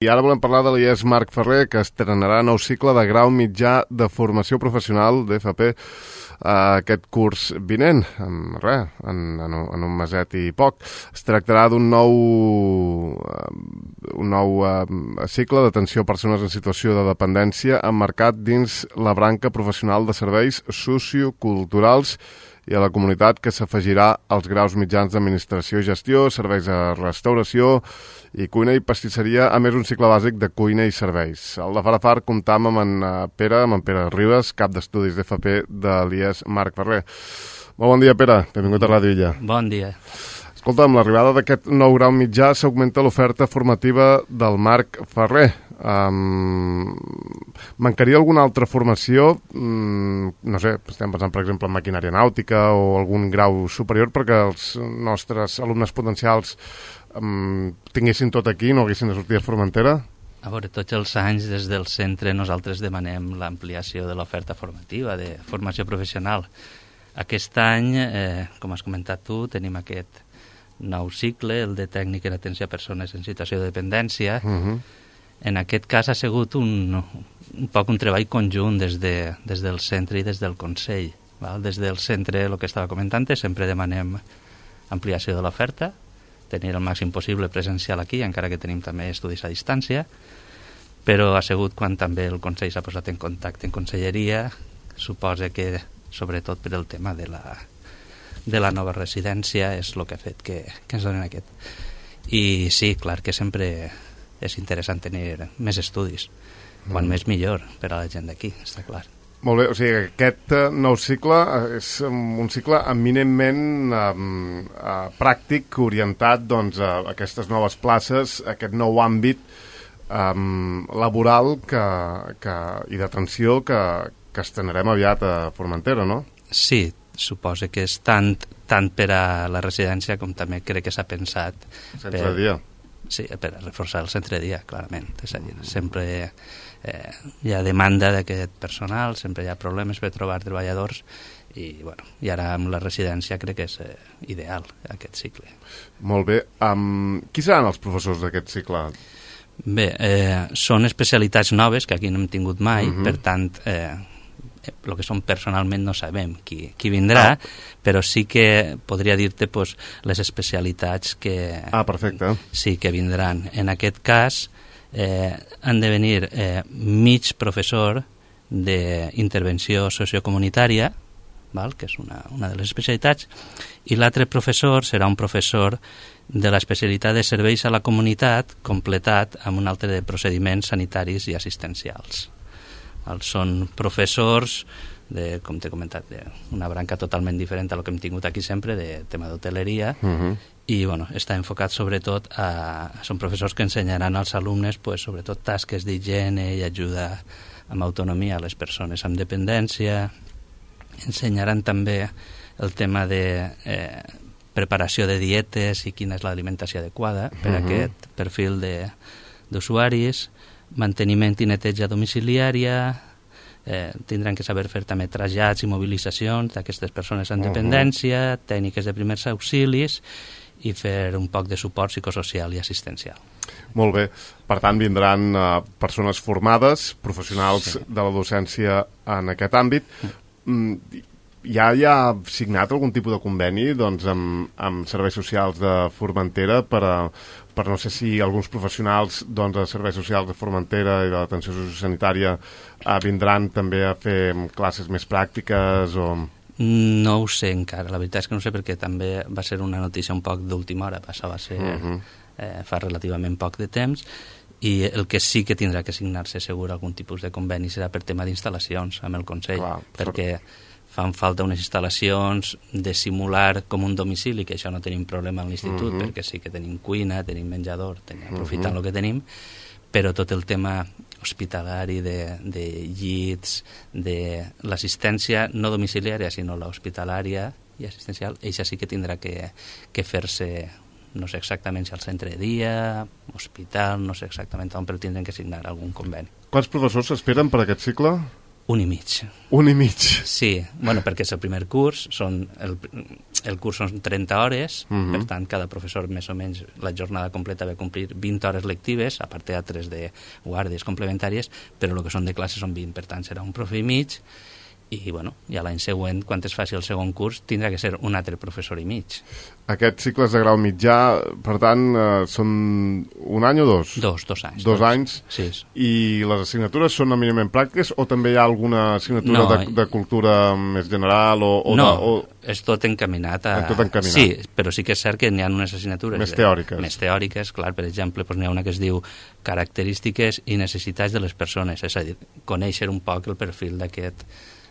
I ara volem parlar de l'IES Marc Ferrer, que estrenarà nou cicle de grau mitjà de formació professional d'FP aquest curs vinent, en un meset i poc. Es tractarà d'un nou cicle d'atenció a persones en situació de dependència emmarcat dins la branca professional de serveis socioculturals i a la comunitat, que s'afegirà als graus mitjans d'administració i gestió, serveis de restauració i cuina i pastisseria, a més un cicle bàsic de cuina i serveis. Al de Farafar comptam amb en Pere Ribas, cap d'estudis d'FP de l'IES Marc Ferrer. Molt bon dia, Pere. Benvingut a Ràdio Illa. Bon dia. Escolta, amb l'arribada d'aquest nou grau mitjà s'augmenta l'oferta formativa del Marc Ferrer. Mancaria alguna altra formació? No sé, estem pensant, per exemple, en maquinària nàutica o algun grau superior perquè els nostres alumnes potencials tinguessin tot aquí, no haguessin de sortir a Formentera? A veure, tots els anys des del centre nosaltres demanem l'ampliació de l'oferta formativa, de formació professional. Aquest any, com has comentat tu, tenim aquest nou cicle, el de tècnic en atenció a persones en situació de dependència. En aquest cas ha sigut un poc un treball conjunt des del centre i des del Consell. Des del centre, el que estava comentant, sempre demanem ampliació de l'oferta, tenir el màxim possible presencial aquí, encara que tenim també estudis a distància, però ha sigut quan també el Consell s'ha posat en contacte en conselleria, suposa que sobretot per el tema de la nova residència és el que ha fet que ens donen aquest. I sí, clar que sempre és interessant tenir més estudis, quan més millor per a la gent d'aquí, està clar. Molt bé, o sigui, aquest nou cicle és un cicle eminentment pràctic, orientat a aquestes noves places, aquest nou àmbit laboral i d'atenció que estrenarem aviat a Formentera, no? Sí, suposa que és tant per a la residència com també crec que s'ha pensat centre de dia. Sí, per reforçar el centre de dia, clarament. És a dir, sempre hi ha demanda d'aquest personal, sempre hi ha problemes per trobar treballadors i ara amb la residència crec que és ideal aquest cicle. Molt bé. Qui seran els professors d'aquest cicle? Bé, són especialitats noves que aquí no hem tingut mai, per tant el que són personalment no sabem qui vindrà, però sí que podria dir-te les especialitats que perfecte. Sí que vindran. En aquest cas han de venir mig professor d'intervenció sociocomunitària, que és una de les especialitats, i l'altre professor serà un professor de l'especialitat de serveis a la comunitat completat amb un altre de procediments sanitaris i assistencials. Són professors com t'he comentat, d'una branca totalment diferent a lo que hem tingut aquí sempre, de tema d'hoteleria, i està enfocat sobretot són professors que ensenyaran als alumnes sobretot tasques d'higiene i ajuda amb autonomia a les persones amb dependència. Ensenyaran també el tema de preparació de dietes i quina és l'alimentació adequada per a aquest perfil d'usuaris, manteniment i neteja domiciliària, tindran que saber fer també trasllats i mobilitzacions d'aquestes persones amb dependència, tècniques de primers auxilis i fer un poc de suport psicosocial i assistencial. Molt bé. Per tant, vindran persones formades, professionals de la docència en aquest àmbit. Ja hi ha signat algun tipus de conveni amb serveis socials de Formentera per no sé si alguns professionals de serveis socials de Formentera i de l'atenció sociosanitària vindran també a fer classes més pràctiques o... No ho sé encara, la veritat és que no sé, perquè també va ser una notícia un poc d'última hora, això va ser fa relativament poc de temps, i el que sí que tindrà que signar-se segur algun tipus de conveni serà per tema d'instal·lacions amb el Consell, perquè fan falta unes instal·lacions de simular com un domicili, que això no tenim problema a l'institut, perquè sí que tenim cuina, tenim menjador, aprofitant el que tenim, però tot el tema hospitalari de llits, de l'assistència no domiciliària, sinó l'hospitalària i assistencial, això sí que tindrà que fer-se, no sé exactament si al centre de dia, hospital, no sé exactament on, però tindrem que signar algun conveni. Quants professors s'esperen per aquest cicle? 1 i mig. 1 i mig? Sí, bueno, perquè és el primer curs, el curs són 30 hores, per tant, cada professor més o menys la jornada completa va complir 20 hores lectives, a part teatres de guàrdies complementàries, però el que són de classe són 20, per tant, serà un profe i mig, i bueno, ja l'any següent, quan es faci el segon curs, tindrà que ser un altre professor i mig. Aquests cicles de grau mitjà, per tant, són 1 any o 2? 2 anys. 2 anys? Sí. I les assignatures són eminentment pràctiques o també hi ha alguna assignatura de cultura més general? És tot encaminat a... Tot encaminat. Sí, però sí que és cert que n'hi ha unes assignatures... Més teòriques. Més teòriques, clar, per exemple, n'hi ha una que es diu característiques i necessitats de les persones, és a dir, conèixer un poc el perfil d'aquest...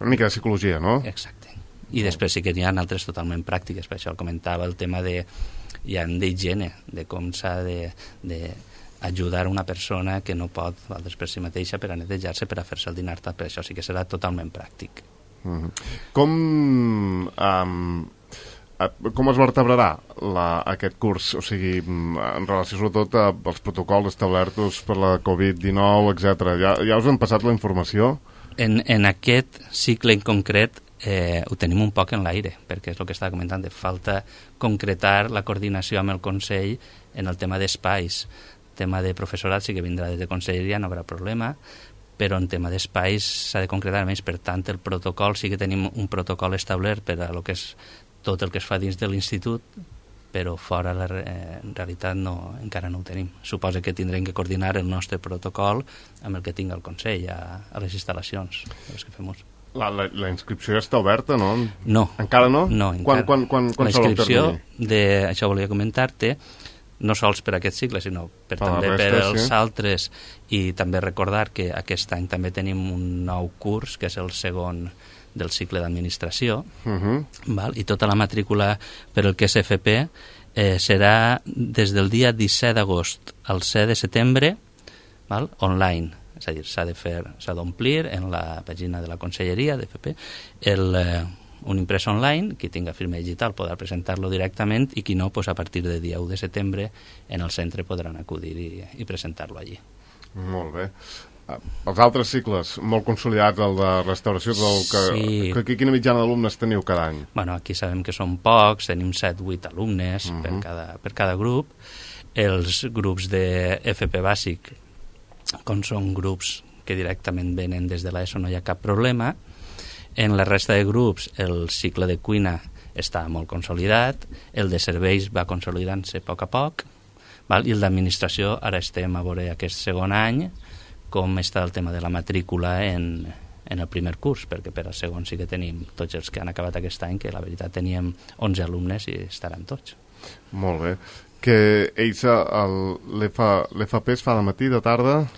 Una mica de psicologia, no? Exacte. I després sí que n'hi ha altres totalment pràctiques, per això el comentava, el tema d'higiene, de com s'ha d'ajudar una persona que no pot valdre per si mateixa per a netejar-se, per a fer-se el dinar, per això sí que serà totalment pràctic. Com es vertebrarà aquest curs? O sigui, en relació sobretot als protocols establerts per la Covid-19, etc. Ja us han passat la informació? En aquest cicle en concret ho tenim un poc en l'aire, perquè és el que estava comentant, de falta concretar la coordinació amb el Consell en el tema d'espais. El tema de professorat sí que vindrà des de conselleria, no haurà problema, però en tema d'espais s'ha de concretar més. Per tant, el protocol, sí que tenim un protocol establert per a lo que és tot el que es fa dins de l'institut, però fora en realitat encara no ho tenim. Suposa que tindrem que coordinar el nostre protocol amb el que tinga el Consell a les instal·lacions les que fem ús. La inscripció ja està oberta, no? No. Encara no? No, encara. Quan la inscripció, això volia comentar-te, no sols per aquest cicle, sinó també per els altres, i també recordar que aquest any també tenim un nou curs, que és el segon del cicle d'administració, i tota la matrícula per el que és FP serà des del dia 17 d'agost al 7 de setembre online, és a dir, s'ha d'omplir en la pàgina de la Conselleria d'FP un imprès online, qui tinga firma digital podrà presentar-lo directament i qui no, a partir del dia 1 de setembre en el centre podran acudir i presentar-lo allí. Molt bé. Els altres cicles, molt consolidats, el de restauració, sí. Quina mitjana d'alumnes teniu cada any? Bueno, aquí sabem que són pocs, tenim 7-8 alumnes per cada grup. Els grups de FP bàsic, com són grups que directament venen des de l'ESO, no hi ha cap problema. En la resta de grups, el cicle de cuina està molt consolidat, el de serveis va consolidant-se a poc, i el d'administració, ara estem a veure aquest segon any, com està el tema de la matrícula en el primer curs, perquè per al segon sí que tenim tots els que han acabat aquest any, que la veritat teníem 11 alumnes i estaran tots. Molt bé. Que ells, l'FP es fa de matí, de tarda?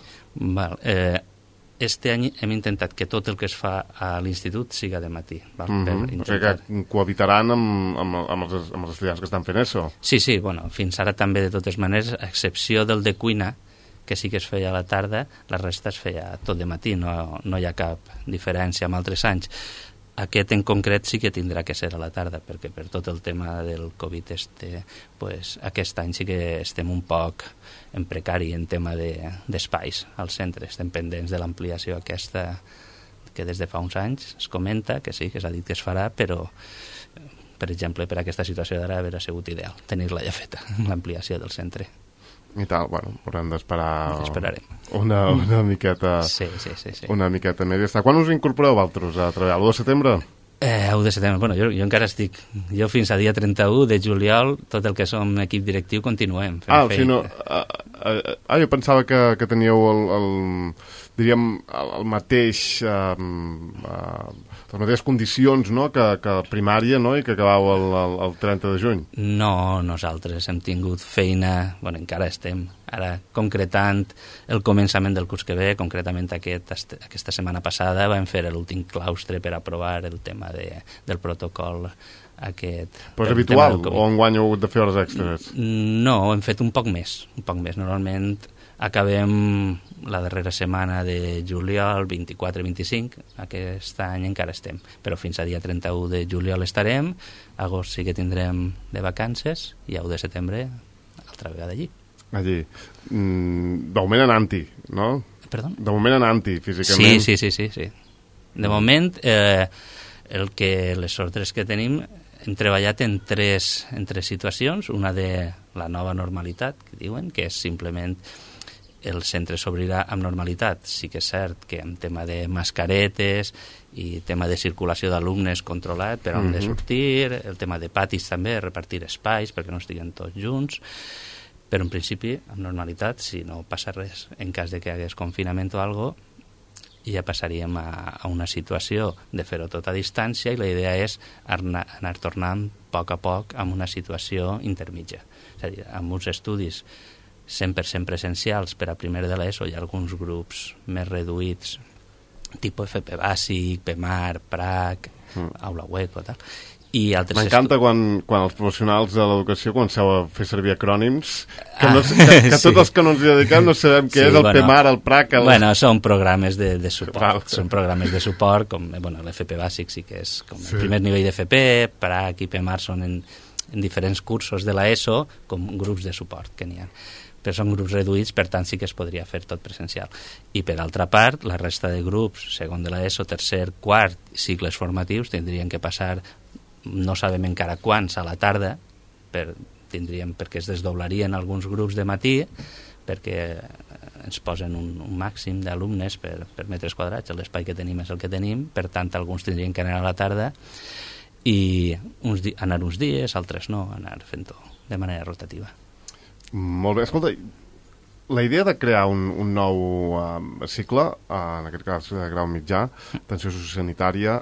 Este any hem intentat que tot el que es fa a l'institut siga de matí. O sigui que cohabitaran amb els estudiants que estan fent això? Sí, bueno, fins ara també de totes maneres, a excepció del de cuina, que sí que es feia a la tarda, la resta es feia tot de matí, no hi ha cap diferència amb altres anys. Aquest en concret sí que tindrà que ser a la tarda, perquè per tot el tema del Covid aquest any sí que estem un poc en precari en tema d'espais al centre. Estem pendents de l'ampliació aquesta que des de fa uns anys es comenta, que sí, que s'ha dit que es farà, però per exemple per aquesta situació d'ara hauria sigut ideal tenir-la ja feta, l'ampliació del centre. I tal, bueno, haurem d'esperar una miqueta sí. Una miqueta més. Quan us incorporeu altres a treballar? L'1 de setembre? 1 de setembre, bueno, jo encara estic. Jo fins a dia 31 de juliol, tot el que som equip directiu, continuem fent feina. Jo pensava que teníeu el mateix les mateixes condicions, no?, que primària, no?, i que acabau el 30 de juny. No, nosaltres hem tingut feina, bueno, encara estem ara concretant el començament del curs que ve, concretament aquesta setmana passada vam fer l'últim claustre per aprovar el tema del protocol aquest. Però és habitual o enguany heu de fer hores extres? No, hem fet un poc més. Normalment acabem la darrera setmana de juliol, 24-25, aquest any encara estem, però fins a dia 31 de juliol estarem, agost sí que tindrem de vacances i a 1 de setembre altra vegada allí. De moment anant-hi, no? Perdó? De moment anant-hi, físicament. Sí. De moment, les ordres que tenim hem treballat en tres situacions. Una de la nova normalitat, que diuen, que és simplement el centre s'obrirà amb normalitat. Sí que és cert que amb tema de mascaretes i tema de circulació d'alumnes controlat per on de sortir, el tema de patis també, repartir espais perquè no estiguen tots junts, però en principi amb normalitat, si no passa res, en cas de que hi hagués confinament o alguna cosa, ja passaríem a una situació de fer-ho tot a distància i la idea és anar tornant a poc amb una situació intermitja. És a dir, amb uns estudis 100% presencials per a primer de l'ESO hi ha alguns grups més reduïts, tipus FP Bàsic, PEMAR, PRAC, Aula Web o tal. M'encanta quan els professionals de l'educació comenceu a fer servir acrònims que tots els que no ens hi dediquem no sabem què és el PEMAR, el PRAC... Són programes de suport. Són programes de suport, com l'FP Bàsic sí que és com el primer nivell d'FP, PRAC i PEMAR són en diferents cursos de l'ESO com grups de suport que n'hi ha. Però són grups reduïts, per tant sí que es podria fer tot presencial. I per altra part, la resta de grups, segon de l'ESO, tercer, quart, cicles formatius, tindrien que passar, no sabem encara quants, a la tarda, perquè es desdoblarien alguns grups de matí, perquè ens posen un màxim d'alumnes per metres quadrats, l'espai que tenim és el que tenim, per tant alguns tindrien que anar a la tarda i anar uns dies, altres no, anar fent-ho de manera rotativa. Molt bé, escolta, la idea de crear un nou cicle, en aquest cas de grau mitjà, atenció sociosanitària,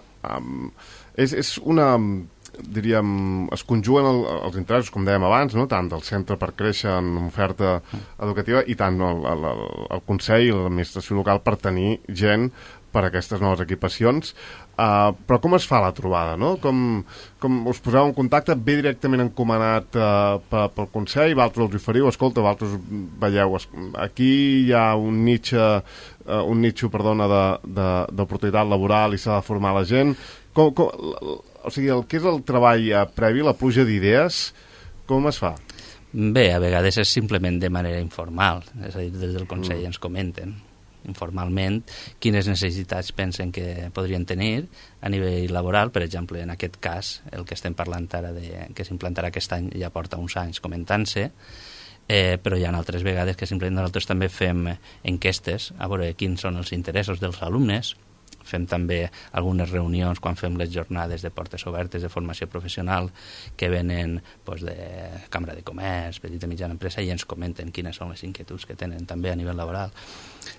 és una, diríem, es conjuguen els interessos, com dèiem abans, no? Tant del centre per créixer en oferta educativa i tant el Consell i l'administració local per tenir gent per a aquestes noves equipacions. Però com es fa la trobada, no? Com us poseu en contacte? Ve directament encomanat pel Consell, vosaltres els oferiu, escolta, vosaltres veieu, aquí hi ha un nitxo d'oportunitat laboral i s'ha de formar la gent. O sigui, el que és el treball previ, la pluja d'idees, com es fa? Bé, a vegades és simplement de manera informal, és a dir, des del Consell ens comenten informalment quines necessitats pensen que podrien tenir a nivell laboral. Per exemple, en aquest cas, el que estem parlant ara que s'implantarà aquest any ja porta uns anys comentant-se, però hi ha altres vegades que simplement nosaltres també fem enquestes a veure quins són els interessos dels alumnes. Fem també algunes reunions quan fem les jornades de portes obertes de formació professional que venen de Cambra de Comerç, petita i mitjana empresa, i ens comenten quines són les inquietuds que tenen també a nivell laboral.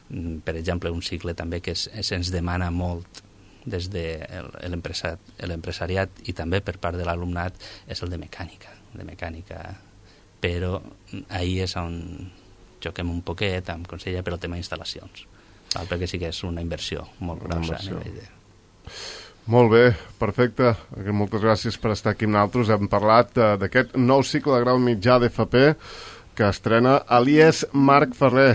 Per exemple, un cicle també que se'ns demana molt des de l'empresariat i també per part de l'alumnat és el de mecànica, però ahir és on xoquem un poquet amb Consell per el tema d'instal·lacions, perquè sí que és una inversió molt grossa. Molt bé, perfecte. Moltes gràcies per estar aquí amb nosaltres. Hem parlat d'aquest nou cicle de grau mitjà d'FP que estrena a l'IES Marc Ferrer.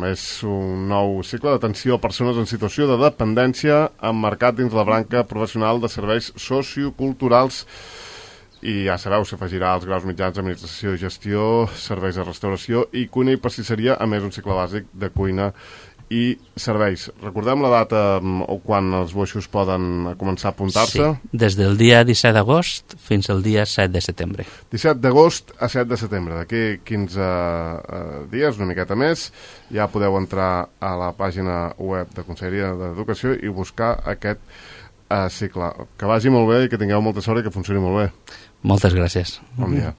És un nou cicle d'atenció a persones en situació de dependència emmarcat dins la branca professional de serveis socioculturals. I ja sabeu, s'afegirà als graus mitjans d'administració i gestió, serveis de restauració i cuina i pastisseria, a més un cicle bàsic de cuina i serveis. Recordem la data o quan els boixos poden començar a apuntar-se? Sí, des del dia 17 d'agost fins al dia 7 de setembre. 17 d'agost a 7 de setembre. D'aquí 15 dies, una miqueta més, ja podeu entrar a la pàgina web de Conselleria d'Educació i buscar aquest cicle. Que vagi molt bé i que tingueu molta sort i que funcioni molt bé. Moltes gràcies. Bon dia.